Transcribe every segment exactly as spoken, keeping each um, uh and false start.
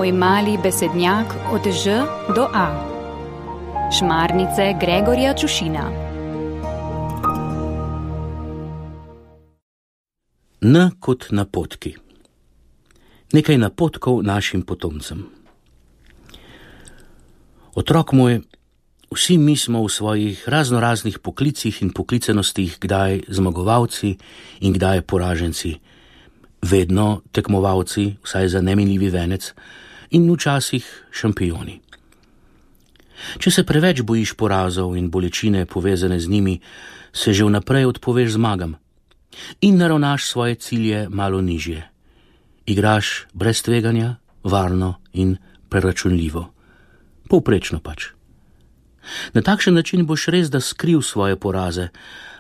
Moj mali besednjak od Ž do A. Šmarnice Gregorja Čušina. N kot napotki. Nekaj napotkov našim potomcem. Otrok moj, vsi mi smo v svojih raznoraznih poklicih in poklicenostih kdaj zmagovalci in kdaj poraženci, vedno tekmovalci, vsaj za neminljivi venec, in včasih šampioni. Če se preveč bojiš porazov in bolečine povezane z njimi, se že vnaprej odpoveš zmagam in naravnaš svoje cilje malo nižje. Igraš brez tveganja, varno in preračunljivo. Povprečno pač. Na takšen način boš res da skril svoje poraze,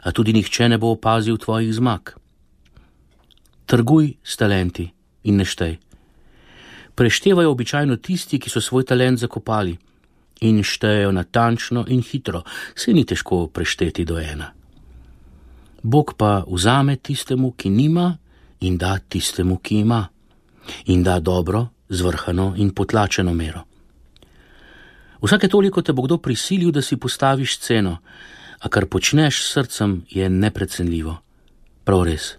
a tudi nihče ne bo opazil tvojih zmag. Trguj s talenti in ne štej. Preštevajo običajno tisti, ki so svoj talent zakopali, in štejejo natančno in hitro, se ni težko prešteti do ena. Bog pa vzame tistemu, ki nima, in da tistemu, ki ima, in da dobro, zvrhano in potlačeno mero. Vsake toliko te bo kdo prisilil, da si postaviš ceno, a kar počneš s srcem, je neprecenljivo. Prav res,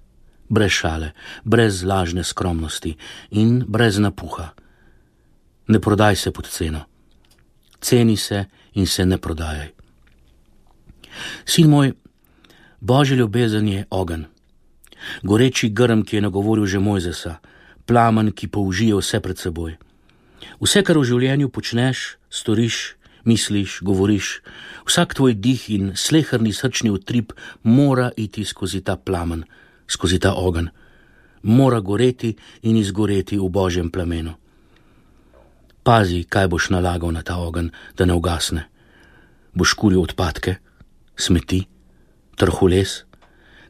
brez šale, brez lažne skromnosti in brez napuha. Ne prodaj se pod ceno. Ceni se in se ne prodajaj. Sin moj, Božja ljubezen je ogenj. Goreči grm, ki je nagovoril že Mojzesa, plamen, ki použije vse pred seboj. Vse, kar v življenju počneš, storiš, misliš, govoriš, vsak tvoj dih in sleherni srčni utrip mora iti skozi ta plamen, skozi ta ogenj. Mora goreti in izgoreti v Božjem plamenu. Pazi, kaj boš nalagal na ta ogenj, da ne ugasne. Boš kuril odpadke, smeti, trhules,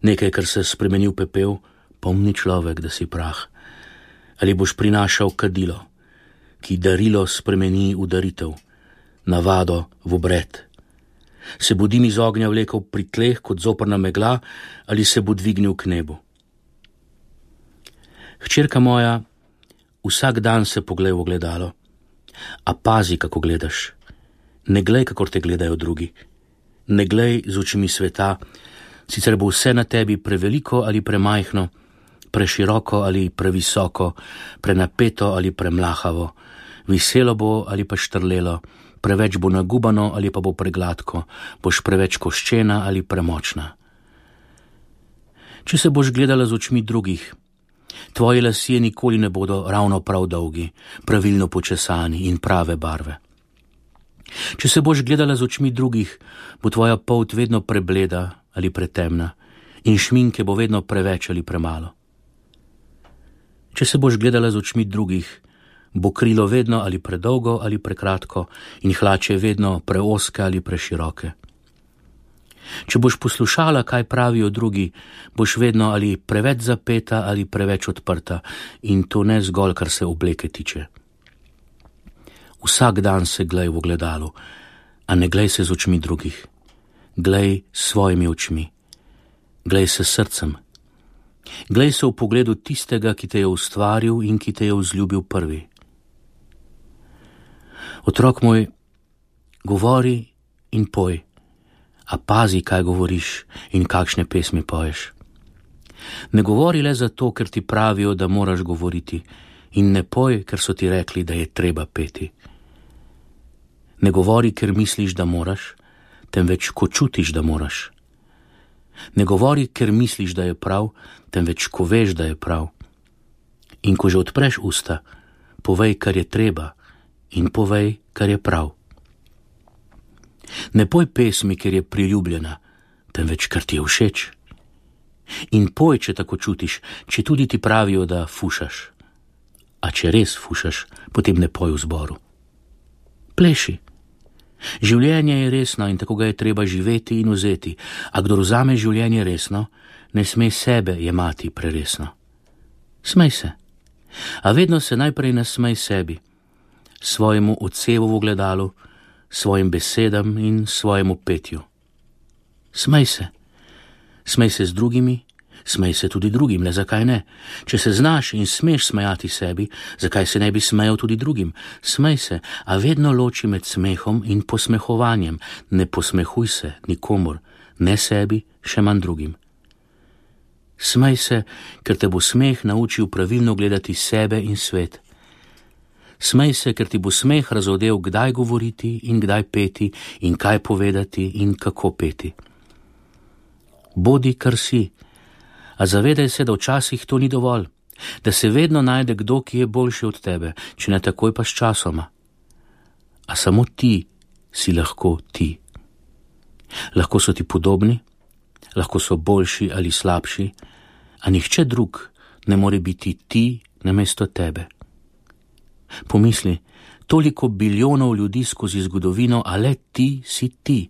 nekaj, kar se spremeni v pepel, pomni človek, da si prah. Ali boš prinašal kadilo, ki darilo spremeni v daritev, navado v obred. Se bo dim iz ognja vlekel pri tleh kot zoprna megla, ali se bo dvignil k nebu. Hčerka moja, vsak dan se poglej v ogledalo, a pazi, kako gledaš. Ne glej, kakor te gledajo drugi. Ne glej z očmi sveta, sicer bo vse na tebi preveliko ali premajhno, preširoko ali previsoko, prenapeto ali premlahavo, viselo bo ali pa štrlelo, preveč bo nagubano ali pa bo pregladko, boš preveč koščena ali premočna. Če se boš gledala z očmi drugih, tvoji lasje nikoli ne bodo ravno prav dolgi, pravilno počesani in prave barve. Če se boš gledala z očmi drugih, bo tvoja polt vedno prebleda ali pretemna in šminke bo vedno preveč ali premalo. Če se boš gledala z očmi drugih, bo krilo vedno ali predolgo ali prekratko in hlače vedno preoske ali preširoke. Če boš poslušala, kaj pravijo drugi, boš vedno ali preveč zapeta ali preveč odprta, in to ne zgolj, kar se obleke tiče. Vsak dan se glej v ogledalu, a ne glej se z očmi drugih. Glej s svojimi očmi. Glej se srcem. Glej se v pogledu tistega, ki te je ustvaril in ki te je vzljubil prvi. Otrok moj, govori in poj, a pazi, kaj govoriš in kakšne pesmi poješ. Ne govori le zato, ker ti pravijo, da moraš govoriti, in ne poj, ker so ti rekli, da je treba peti. Ne govori, ker misliš, da moraš, temveč ko čutiš, da moraš. Ne govori, ker misliš, da je prav, temveč ko veš, da je prav. In ko že odpreš usta, povej, kar je treba, in povej, kar je prav. Ne poj pesmi, ker je priljubljena, temveč kar ti je všeč. In poj, če tako čutiš, če tudi ti pravijo, da fušaš. A če res fušaš, potem ne poj v zboru. Pleši. Življenje je resno in tako ga je treba živeti in vzeti, a kdor vzame življenje resno, ne sme sebe jemati preresno. Smej se. A vedno se najprej nasmej sebi, svojemu odsevu v ogledalu, svojim besedam in svojemu petju. Smej se. Smej se z drugimi, Smej se tudi drugim, le zakaj ne? Če se znaš in smeš smejati sebi, zakaj se ne bi smejal tudi drugim? Smej se, a vedno loči med smehom in posmehovanjem. Ne posmehuj se nikomur, ne sebi, še manj drugim. Smej se, ker te bo smeh naučil pravilno gledati sebe in svet. Smej se, ker ti bo smeh razodel, kdaj govoriti in kdaj peti in kaj povedati in kako peti. Bodi, kar si, a zavedaj se, da včasih to ni dovolj, da se vedno najde kdo, ki je boljši od tebe, če ne takoj pa s časoma. A samo ti si lahko ti. Lahko so ti podobni, lahko so boljši ali slabši, a nihče drug ne more biti ti namesto tebe. Pomisli, toliko biljonov ljudi skozi zgodovino, a le ti si ti,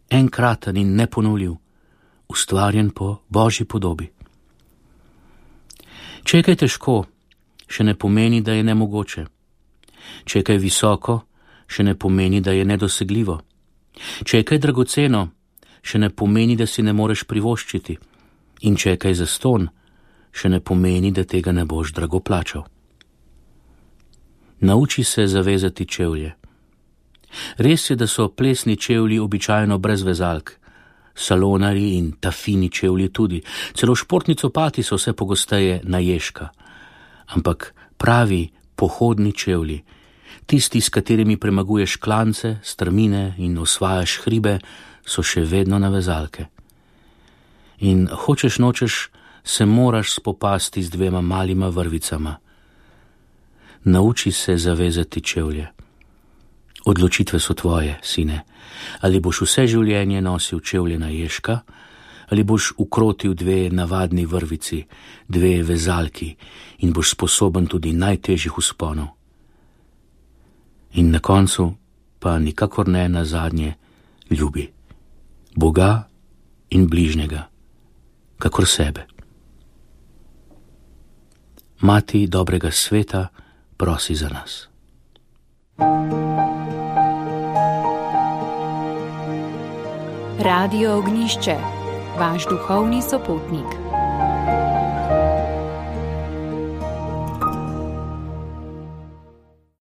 enkraten in neponovljiv, ustvarjen po Božji podobi. Če je kaj težko, še ne pomeni, da je nemogoče. Če je kaj visoko, še ne pomeni, da je nedosegljivo. Če je kaj dragoceno, še ne pomeni, da si ne moreš privoščiti. In če je kaj zastonj, še ne pomeni, da tega ne boš drago plačal. Nauči se zavezati čevlje. Res je, da so plesni čevlji običajno brez vezalk, salonarji in tafini čevlji tudi, celo športni copati so vse pogosteje na ježka. Ampak pravi pohodni čevlji, tisti, s katerimi premaguješ klance, strmine in osvajaš hribe, so še vedno na vezalke. In hočeš nočeš, se moraš spopasti z dvema malima vrvicama. Nauči se zavezati čevlje. Odločitve so tvoje, sine. Ali boš vse življenje nosil čevlje na ježka, ali boš ukrotil dve navadni vrvici, dve vezalki in boš sposoben tudi najtežjih vzponov. In na koncu pa nikakor ne nazadnje ljubi Boga in bližnjega, kakor sebe. Mati dobrega sveta prosi za nas. Radio Ognišče, vaš duhovni sopotnik.